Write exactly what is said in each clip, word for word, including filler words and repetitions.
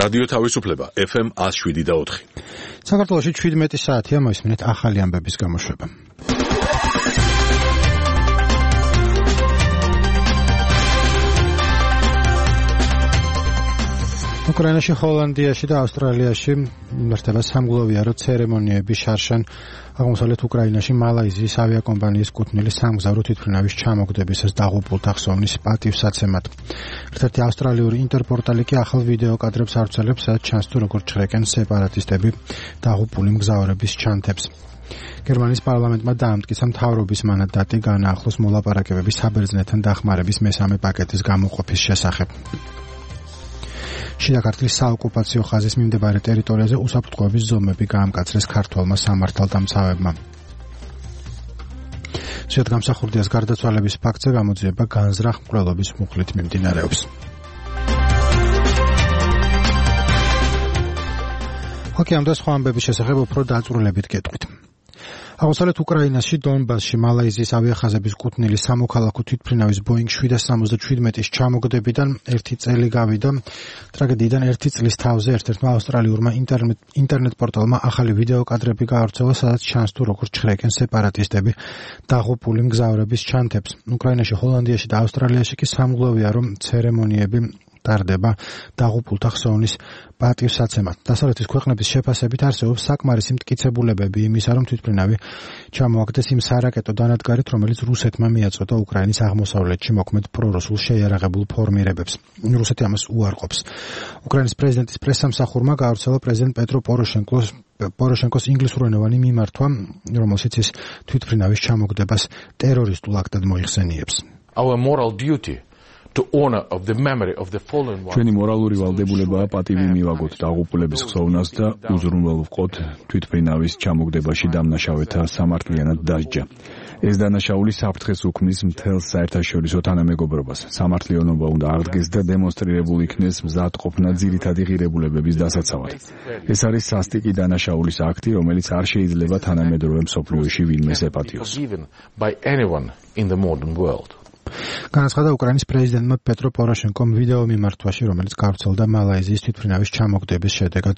რადიო თავისუფლება ეფ ემ one oh seven და four. საქართველოში შვიდმეტი საათია მოისმინეთ ახალი ამბების გამოშვება. უკრაინაში, ჰოლანდიაში და ავსტრალიაში მიმართება სამგლოვიარო ცერემონიები შარშან აღმოსავლეთ უკრაინაში მალაიზიის ავიაკომპანიის კუთვნილი სამგზავრო თვითმფრინავის ჩამოგდებისას დაღუპულთა ხსოვნის პატივსაცემად. ერთ-ერთი ავსტრალიური ინტერპორტალი კი ახალ ვიდეო კადრებს ავრცელებს, სადაც ჩანს თუ როგორ ჩხრეკენ სეპარატისტები დაღუპული მგზავრების ჩანთებს. გერმანიის პარლამენტმა დაამტკიცა მთავრობის მანდატი განაახლოს მოლაპარაკებების საბერძნეთთან დახმარების მესამე პაკეტის გამოყოფის შესახებ. შიდა ქართლის საოკუპაციო ხაზის მიმდებარე ტერიტორიაზე უსაფრთხოების ზომები გაამკაცრეს ქართველმა სამართალდამცავებმა. სიადგამსახურდიას გარდაცვალების ფაქტზე გამოძიება განზრახ მკვლელობის მუხლით მიმდინარეობს. ოკეანე და სხვა ამბების შესახებ უფრო დაწვრილებით გეტყვით. აღმოსავლეთ უკრაინაში, დონბასში, მალაიზიის ავიახაზების კუთვნილი სამოქალაქო თვითმფრინავის ბოინგ seven seventy-seven-ის ჩამოგდებიდან ერთი წელი გავიდა. ტრაგედიიდან ერთი წლის თავზე ერთ-ერთმა ავსტრალიურმა ინტერნეტ ინტერნეტ პორტალმა ახალი ვიდეო კადრები გაავრცელა, სადაც ჩანს თუ როგორ ჩხრეკენ სეპარატისტები დაღუპული მგზავრების ჩანთებს. უკრაინაში, ჰოლანდიაში და ავსტრალიაში კი სამგლოვიარო ცერემონიები ტარდება დაღუპულთა ხსოვნის პატივსაცემად. დასავლეთის ქვეყნების შეფასებით არსებობს საკმარისი მტკიცებულებები იმისა, რომ თვითმფრინავი ჩამოაგდეს იმ სარაკეტო დანადგარით, რომელიც რუსეთმა მიაწოდა უკრაინის აღმოსავლეთში მოქმედ პრორუსულ შეიარაღებულ ფორმირებებს. რუსეთი ამას უარყოფს. უკრაინის პრეზიდენტის პრესსამსახურმა გაავრცელა პრეზიდენტ პეტრო პოროშენკოს პოროშენკოს ინგლისურენოვანი მიმართვა, რომელშიც ის თვითმფრინავის ჩამოგდებას ტერორისტულ აქტად მოიხსენიებს. Our moral duty to honor of the memory of the fallen ones. ჩვენი მორალური ვალდებულებაა პატივი მივაგოთ დაღუპულების ხსოვნას და უზრუნველყოთ თვითმფრინავის ჩამოგდებაში დამნაშავეთა სამართლიანად დასჯა. ეს დანაშაული საფრთხეს უქმნის მთელს საერთაშორისო თანამეგობრობას. სამართლიანობა უნდა აღდგეს და დემონსტრირებულ იქნეს მზადყოფნა ძირითადი ღირებულებების დასაცავად. ეს არის სასტიკი დანაშაულის აქტი, რომელიც არ შეიძლება თანამედროვე მსოფლიოში ვინმეს ეპატიოს. განაცხადა უკრაინის პრეზიდენტმა პეტრო პოროშენკომ ვიდეო მიმართვაში, რომელიც გავრცელდა მალაიზიის თვითმფრინავის ჩამოგდების შედეგად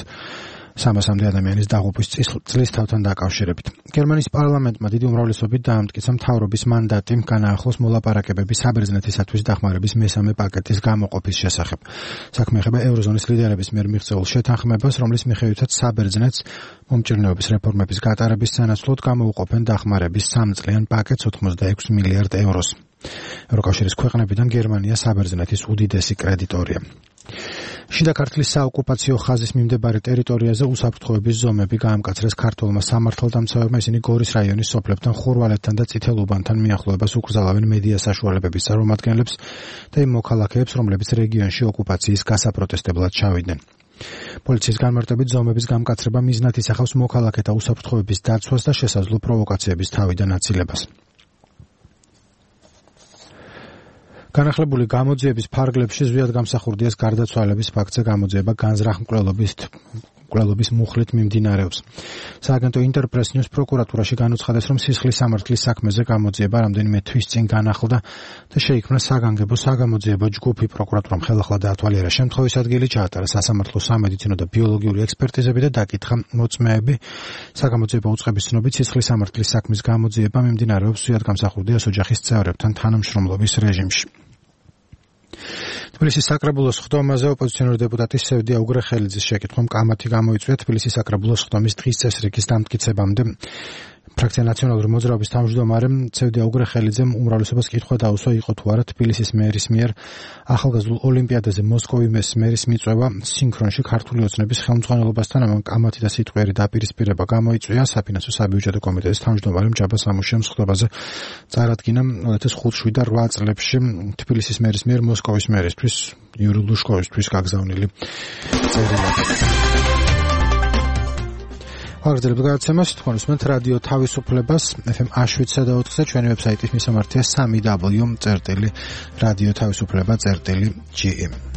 სამასამდე ადამიანის დაღუპვის წლისთავთან დაკავშირებით. გერმანიის პარლამენტმა დიდი უმრავლესობით დაამტკიცა მთავრობის მანდატი განაახლოს მოლაპარაკებების საბერძნეთისათვის დახმარების მესამე პაკეტის გამოყოფის შესახებ. საქმე ეხება ევროზონის ლიდერების მიერ მიღწეულ შეთანხმებას, რომლის მიხედვითაც საბერძნეთს მომჭირნეობის რეფორმების გატარების სანაცვლოდ გამოუყოფენ დახმარების სამწლიან პაკეტს ოცდაექვსი მილიარდ ევროს. ევროკავშირის ქვეყნებიდან გერმანია საბერძნეთის უდიდესი კრედიტორია. შიდა ქართლის საოკუპაციო ხაზის მიმდებარე ტერიტორიაზე უსაფრთხოების ზომები გაამკაცრეს ქართველმა სამართალდამცავებმა. ისინი გორის რაიონის სოფლებთან, ხურვალეთთან და წითელუბანთან მიახლოებას უკრძალავენ მედია საშუალებების წარმომადგენლებს და იმ მოქალაქეებს, რომლებიც რეგიონში ოკუპაციის გასაპროტესტებლად ჩავიდნენ. პოლიციის განმარტებით ზომების გამკაცრება მიზნად ისახავს მოქალაქეთა უსაფრთხოების დაცვას და შესაძლო პროვოკაციების თავიდან აცილებას. განახლებული გამოძიების ფარგლებში ზვიადგამსახურდიას გარდაცვალების ფაქტზე გამოძიება განზრახ მკვლელობის მკვლელობის მუხლით მიმდინარეობს. სააგენტო ინტერპრეს ნიუს პროკურატურაში განუცხადეს, რომ სისხლის სამართლის საქმეზე გამოძიება რამდენიმე თვის წინ განახლდა და შეიქმნა საგანგებო საგამოძიებო ჯგუფი. პროკურატურამ ხელახლა დაათვალიერა შემთხვევის ადგილი, ჩაატარა სასამართლო სამედიცინო და ბიოლოგიური ექსპერტიზები და დაკითხა მოწმეები. საგამოძიებო უწყების ცნობით სისხლის სამართლის საქმის გამოძიება მიმდინარეობს ზვიადგამსახურდიას ოჯახის წევრებთან თანამშრომლობის რეჟიმში. თბილისის საკრებულოს ხდომაზე ოპოზიციონერი დეპუტატი სევდია უგრეხელიძის შეკითხვამ კამათი გამოიწვია. თბილისის საკრებულოს ხდომის დღის წესრიგის დამტკიცებამდე ფრაქცია ნაციონალური მოძრაობის თავმჯდომარე სევდია უგრეხელიძემ უმრავლესობას კითხვა დაუსვა, იყო თუ არა თბილისის მერის მიერ ახალგაზრდულ ოლიმპიადაზე მოსკოვის მერის მიწვევა სინქრონში ქართული ოცნების ხელმძღვანელობასთან. ამან კამათი და სიტყვიერი დაპირისპირება გამოიწვია. საფინანსო საბიუჯეტო კომიტეტის თავმჯდომარემ ჯაბა სამუშიამ ხდომაზე წარადგინა two thousand seven და eight წლებში თბილისის მერის მიერ მოსკოვის მერისთვის იური ლუშკოვისთვის გაგზავნილი წერილები. აღწერებს გადაცემას თქვენ უსმენთ რადიო თავისუფლებას ეფ ემ one oh seven და four-ზე, ჩვენი ვებსაიტის მისამართია three w წერტილი რადიო თავისუფლება წერტილი ჯი ი.